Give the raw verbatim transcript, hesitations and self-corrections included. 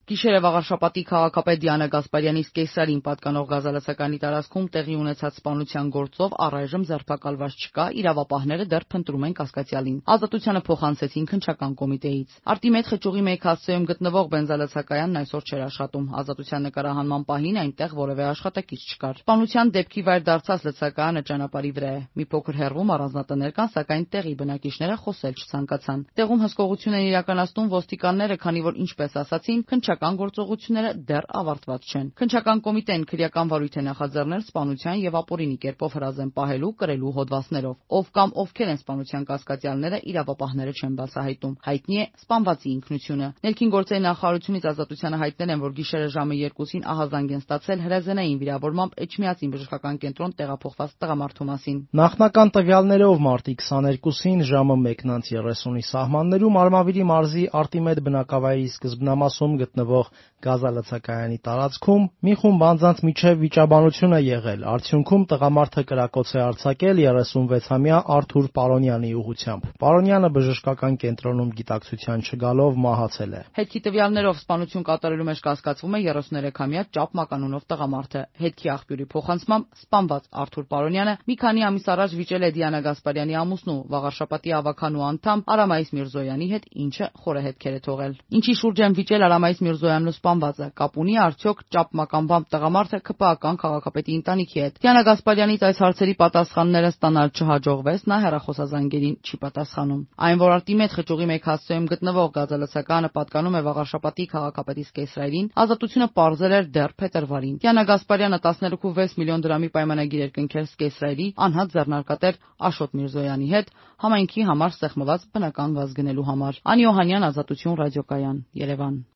Գիշերը Վաղարշապատի քաղաքապետ Դիանա Գասպարյանի Կեսարին պատկանող գազալացականի տարածքում տեղի ունեցած սպանության գործով առայժմ ձերբակալված չկա, իրավապահները դեռ փնտրում են կասկածյալին։ Ազատությանը փոխանցեցին քննչական կոմիտեից։ Արտիմեդ Խճուղի մեկ հասցեում գտնվող բենզալացակայանն այսօր չէր աշխատում։ Ազատության նկարահանման պահին այնտեղ որևէ աշխատակից չկար։ Սպանության դեպքի վայր դարձած լցակայանը ճանապարհի վրա է։ Մի փոքր հեռվում առանձնատներ կան, սակայն տեղի բնակիչները խոսել չցանկացան։ Տեղում հսկողություն են իրականացնում ոստիկանները, քանի որ ինչպես ասացին, քննչական գործողությունները դեռ ավարտված չեն։ Քննչական կոմիտեն քրեական վարույթ է նախաձեռնել սպանության եւ ապօրինի կերպով հրազեն պահելու, կրելու հոդվածներով։ Ով կամ ովքեր են սպանության կասկածյալները, իրավապահները չեն բացահայտում։ Հայտնի է սպանվածի ինքնությունը։ Ներքին գործերի նախարարությունից Ազատությանը հայտնել են, որ գիշերը ժամը երկուսին ահազանգ են ստացել հրազենային վիրավորմամբ Էջմիածին բժշկական կենտրոն տեղափոխված տղամարդու մասին։ Նախնական տվյալներով մարտի քսաներկուսին ժամը մեկն անց երեսունի սահմաններում Արմավիրի մարզի Արտիմեդ բնակավայրի սկզբնամասում գտնվող գազալցակայանի տարածքում մի խումբ անձանց միջև վիճաբանություն է եղել։ Արդյունքում տղամարդը կրակոց է արձակել երեսունվեցամյա Արթուր Պարոնյանի ուղղությամբ։ Պարոնյանը բժշկական կենտրոնում գիտակցության չգալով մահացել է։ Հետքի տվյալներով սպանություն կատարելու մեջ կասկածվում է երեսուներեքամյա Ճապ Մականունով տղամարդը։ Հետքի աղբյուրի փոխանցմամբ սպանված Արթուր Պարոնյանը մի քանի ամիս առաջ վիճել է Դիանա Գասպարյանի ամուսնու Վաղարշապատի ավագանու անդամ Արամայիս Միրզոյանի հետ, ինչը խորը հետքեր է թողել։ Ինչի շուրջ են վիճել Արամայիս Միրզոյանն ու սպանվածը, կապ ունի արդյոք Ճապ Մականբամբ տղամարդը ՔՊԱ-ական քաղաքապետի ընտանիքի հետ։ Դիանա Գասպարյանից այս հարցերի պատասխանները ստանալ չհաջողվեց, նա հեռախոսազանգերին չի պատասխանում։ Այն, որ Արտիմեդ Խճուղի մեկ հասցեում գտնվող գազալցակայանը պատկանում է Վաղարշապատի քաղաքապետի Կեսրայրին, Ազատությունը պարզել էր դեռ փետրվարին։ Դիանա Գասպարյանը տասներեք կόμμα վեց միլիոն դրամի պայմանագիր էր կնքել Կեսրայրի անհատ ձեռնարկատեր Աշոտ Միրզոյանի հետ համայնքի համար սեղմված բնական գազ գնելու համար։ Անի Օհանյան, Ազատություն ռադիոկայան, Երևան։